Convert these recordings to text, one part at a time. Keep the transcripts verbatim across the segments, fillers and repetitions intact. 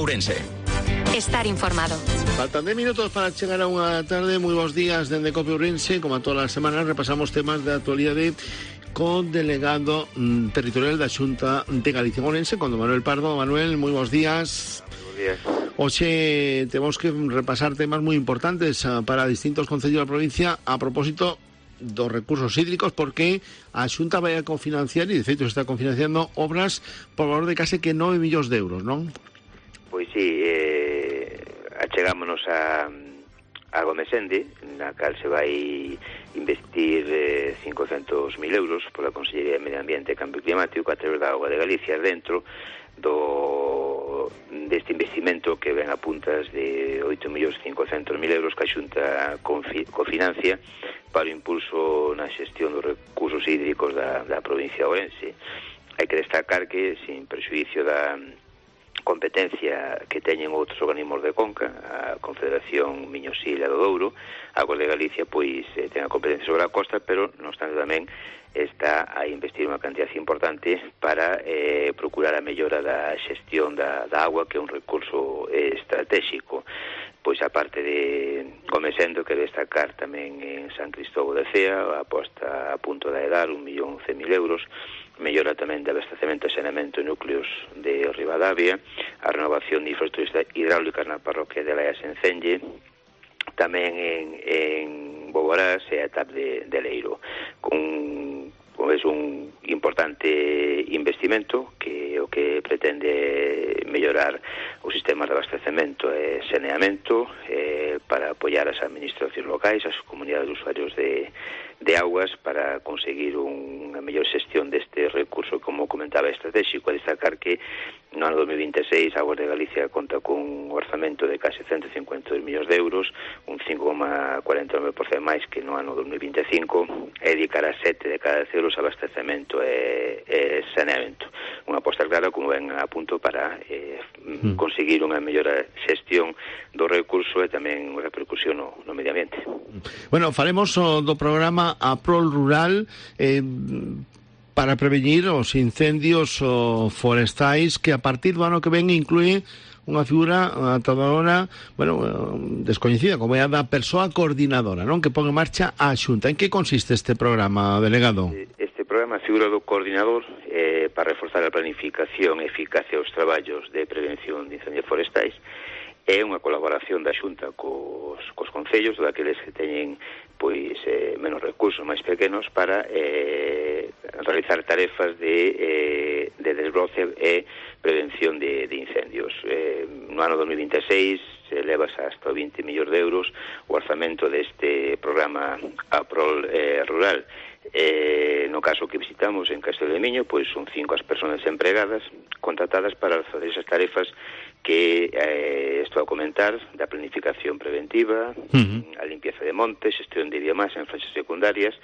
Ourense. Estar informado. Faltan de minutos para chegar a unha tarde. Moi bons días dende Cope Ourense. Como a todas as semanas repasamos temas de actualidade con delegado mm, territorial da Xunta de Galicia Ourense, con don Manuel Pardo. Manuel, moi bons días. Buenos días. Hoxe temos que repasar temas moi importantes uh, para distintos concellos da provincia a propósito dos recursos hídricos, porque a Xunta vai a cofinanciar, e de feito se está cofinanciando obras por valor de case que nove millóns de euros, non? Pois sí, eh, achegámonos a, a Gomesende, na cal se vai investir eh, cincocentos mil euros pola Consellería de Medio Ambiente e Cambio Climático a través da Auga de Galicia dentro do deste investimento que ven a puntas de oito millóns cincocentos mil euros que a Xunta confi, cofinancia para o impulso na xestión dos recursos hídricos da, da provincia de Ourense. Hai que destacar que, sin prexuicio da competencia que teñen outros organismos de Conca, a Confederación Miño-Sil e do Douro, a Augas de Galicia pois eh, ten a competencia sobre a costa, pero non obstante tamén está a investir unha cantidad importante para eh, procurar a mellora da xestión da, da agua, que é un recurso eh, estratégico. Pois a parte de Gomesendo, que destacar tamén en San Cristóbal de Cea, a posta a punto de Edar, un millón cen mil euros, mellora tamén de abastecemento e saneamento en núcleos de Ribadavia, a renovación de infraestructuras hidráulicas na parroquia de Laias en Cenge, tamén en, en Boborás e a etapa de, de Leiro, con es un importante investimento que o que pretende mellorar os sistemas de abastecemento e saneamento eh, para apoiar as administracións locais, as comunidades de usuarios de, de augas, para conseguir unha mellor xestión deste recurso, como comentaba, estratégico. A destacar que no ano dos mil vinte e seis a Augas de Galicia conta con un orzamento de case ciento cincuenta e dos millóns de euros, un cinco coma cuarenta e nove por cento máis que no ano dos mil vinte e cinco, e dedicará sete de cada euros a abastecemento e, e saneamento. Unha aposta clara, como ven a punto, para eh, mm. conseguir unha mellora xestión do recurso e tamén unha repercusión no, no medio ambiente. Bueno, faremos o do programa Aprol Rural eh, para prevenir os incendios o forestais, que a partir do ano que ven inclúe unha figura ata agora, bueno, descoñecida, como é a da persoa coordinadora, non? Que pon en marcha a Xunta. En que consiste este programa, delegado? Este programa, a figura do coordinador, eh, para reforzar a planificación e eficacia dos traballos de prevención de incendios forestais, é unha colaboración da Xunta cos, cos concellos, daqueles que teñen pois eh, menos recursos, máis pequenos, para eh, realizar tarefas de, eh, de desbroce e prevención de, de incendios. Eh, no ano dos mil vinte e seis se elevas hasta vinte millóns de euros o orzamento deste programa Aprol eh, Rural. Eh, no caso que visitamos en Castelo de Miño, pois son cinco as persoas empregadas contratadas para fazer esas tarefas que eh, estou a comentar, da planificación preventiva, uh-huh. a limpieza de montes, xestión de biomasa en franxas secundarias,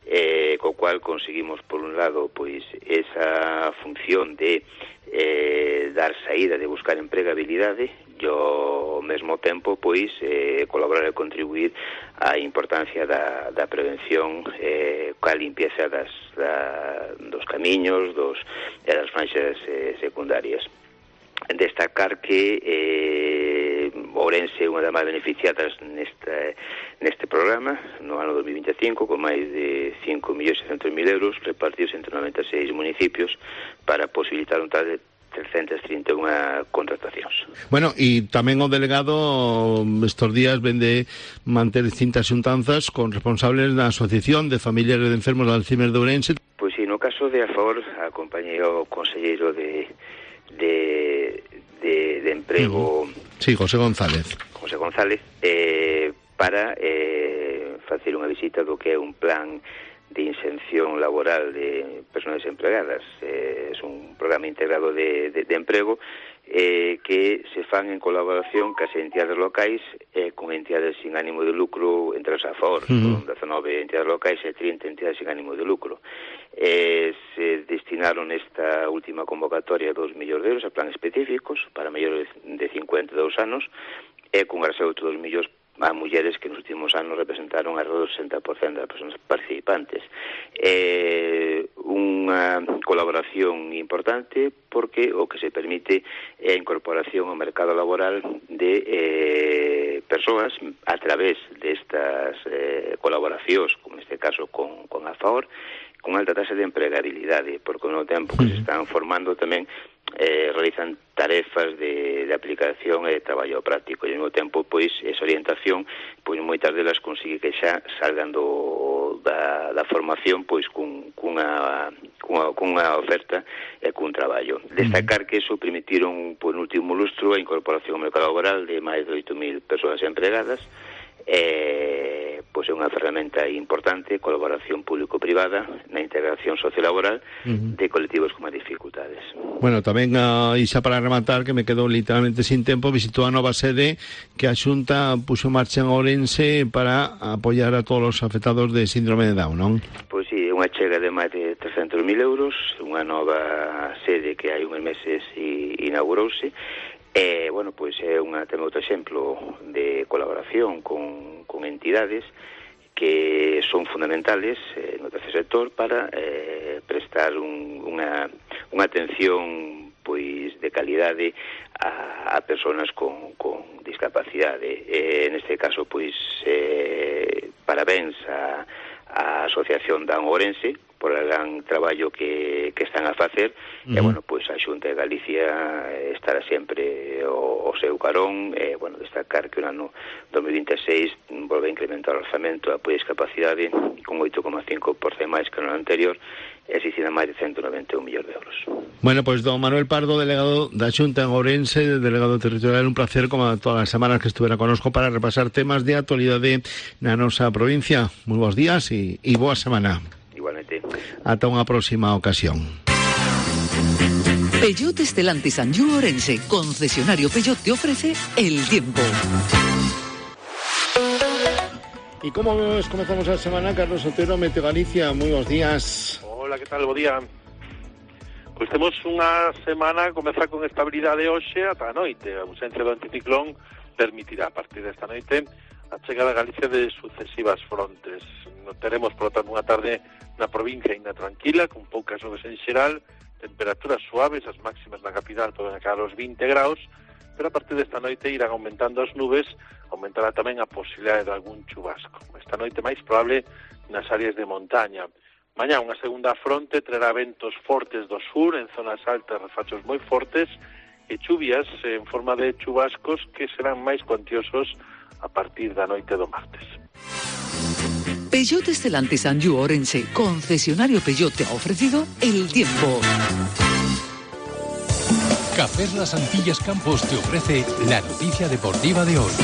eh, co cual conseguimos, por un lado, pois esa función de eh, dar saída, de buscar empregabilidade, e ao mesmo tempo, pois, eh, colaborar e contribuir á importancia da, da prevención eh, coa limpieza das, da, dos camiños, dos, e das franxas eh, secundarias. Destacar que eh, Ourense é unha das máis beneficiadas nesta, neste programa no ano dos mil vinte e cinco, con máis de cinco millóns seiscentos mil euros repartidos entre noventa e seis municipios, para posibilitar un tal de trescentas trinta e unha contratacións. Bueno, e tamén o delegado estes días vende manter distintas xuntanzas con responsables da Asociación de Familiares de Enfermos de Alzheimer de Ourense. Pois si, no caso de Afor, acompañei ao conselleiro de de, de, de emprego, uh-huh. Sí, José González José González eh, para eh, facer unha visita do que é un plan de inserción laboral de persoas empregadas. Eh, é un programa integrado de, de, de emprego eh, que se fan en colaboración cas entidades locais e eh, con entidades sin ánimo de lucro, entre os a favor, uh-huh. con dezanove entidades locais e trinta entidades sin ánimo de lucro. Eh, se destinaron esta última convocatoria dos millóns de euros a plan específicos para maiores de cincuenta e dous anos, e con arseuto dos millóns a mulleres que nos últimos anos representaron alrededor do sesenta por cento das persoas participantes. Eh, unha colaboración importante porque o que se permite é a incorporación ao mercado laboral de eh, persoas a través destas eh, colaboracións, como neste caso con, con a FAOR, con alta tasa de empregabilidade, porque ao tempo que se están formando tamén eh, realizan tarefas de, de aplicación e de traballo práctico, e ao mesmo tempo pois esa orientación pois moitas delas consigue que xa salgan do, da, da formación pois cun, cunha, cunha, cunha oferta e cun traballo. Destacar que eso permitiron por último lustro a incorporación ao mercado laboral de máis de oito mil persoas empregadas. Eh, pois é unha ferramenta importante, colaboración público-privada na integración sociolaboral uh-huh. de colectivos con máis dificultades. Bueno, tamén uh, e xa para rematar, que me quedou literalmente sin tempo, visitou a nova sede que a Xunta puxo en marcha en Ourense para apoiar a todos os afectados de síndrome de Down, non? Pois sí, unha chega de máis de trescentos mil euros, unha nova sede que hai uns meses e inaugurouse. Eh, bueno, pois é unha, ten outro exemplo de colaboración con, con entidades que son fundamentales eh, no tercer sector para eh, prestar un, unha, unha atención pois de calidade a, a personas con, con discapacidade. Eh, neste caso, pois, eh, parabéns a, a Asociación Down Ourense por o gran traballo que, que están a facer, uh-huh. e, bueno, pois a Xunta de Galicia estará sempre o, o seu carón, e, bueno, destacar que o ano dos mil vinte e seis volve a incrementar o orzamento da apoio a discapacidade con oito coma cinco por cento máis que no ano anterior, e asistirá máis de ciento noventa e un millóns de euros. Bueno, pois don Manuel Pardo, delegado da Xunta en Ourense, delegado territorial, un placer como todas as semanas que estuvera conosco para repasar temas de actualidade na nosa provincia. Moi bons días e, e boa semana. Igualmente. Ata unha próxima ocasión. Peugeot Stellantis Anjou Ourense, concesionario Peugeot, te ofrece el tiempo. Y como ves, comenzamos a semana, Carlos Otero, Meteo Galicia, moi bons días. Hola, que tal, bo día. Pois temos unha semana a comezar con estabilidade hoxe ata a noite. A ausencia do anticiclón permitirá a partir desta noite a chegada a Galicia de sucesivas frontes. Teremos, por lo tanto, unha tarde na provincia ainda tranquila, con poucas nubes en xeral, temperaturas suaves, as máximas na capital poden chegar aos vinte graus, pero a partir desta noite irán aumentando as nubes, aumentará tamén a posibilidade de algún chubasco. Esta noite máis probable nas áreas de montaña. Mañá unha segunda fronte trará ventos fortes do sur, en zonas altas refachos moi fortes, e chuvias en forma de chubascos que serán máis cuantiosos a partir da noite do martes. Peugeot Stellantis Anjou Ourense, concesionario Peugeot, te ha ofrecido el tiempo. Café Las Antillas Campos te ofrece la noticia deportiva de hoy.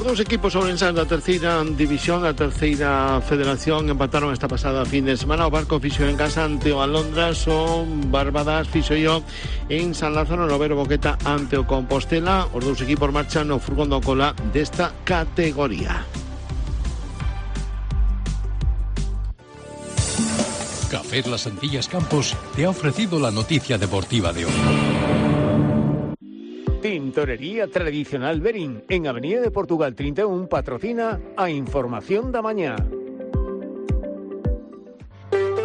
Os equipos ourensanos da terceira división, da terceira federación, empataron esta pasada fin de semana. O Barco fixo en casa ante o Alondras, o Barbadas fixo yo en San Lázaro, no Vero Boqueta ante o Compostela. Os dous equipos marchan no furgón do cola desta categoría. Café Las Antillas Campos te ha ofrecido la noticia deportiva de hoy. Tintorería Tradicional Berín, en Avenida de Portugal treinta e un, patrocina a Información da Mañá.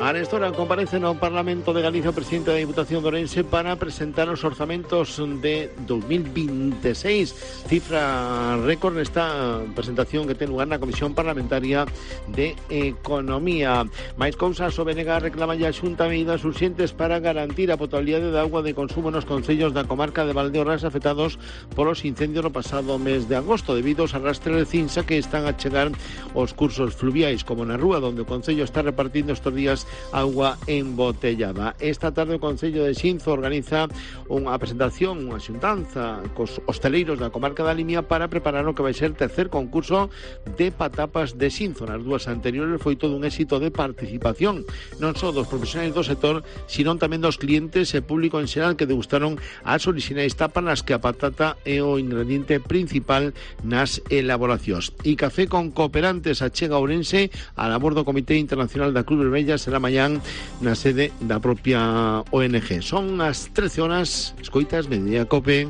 A nesta hora comparece no Parlamento de Galicia o presidente da Diputación de Ourense para presentar os orzamentos de dos mil vinte e seis, cifra récord nesta presentación que ten lugar na Comisión Parlamentaria de Economía. Mais cousas, o B N G reclama a Xunta medidas urxentes para garantir a potabilidade de auga de consumo nos concellos da comarca de Valdeorras afectados polos incendios no pasado mes de agosto, debido aos arrastres de cinza que están a chegar aos cursos fluviais, como na rúa, donde o concello está repartindo estes días agua embotellada. Esta tarde o Concello de Xinzo organiza unha presentación, unha xuntanza cos hosteleiros da comarca da Limia para preparar o que vai ser tercer concurso de patapas de Xinzo. Nas dúas anteriores foi todo un éxito de participación, non só dos profesionais do sector, sino tamén dos clientes e público en xeral que degustaron as orixinais tapas nas que a patata é o ingrediente principal nas elaboracións. E Café con Cooperantes achega a Ourense a labor do Comité Internacional da Cruz Vermella. Será mañán na sede da propia O N G. Son as trece horas, escoitas, Mediodía Cope.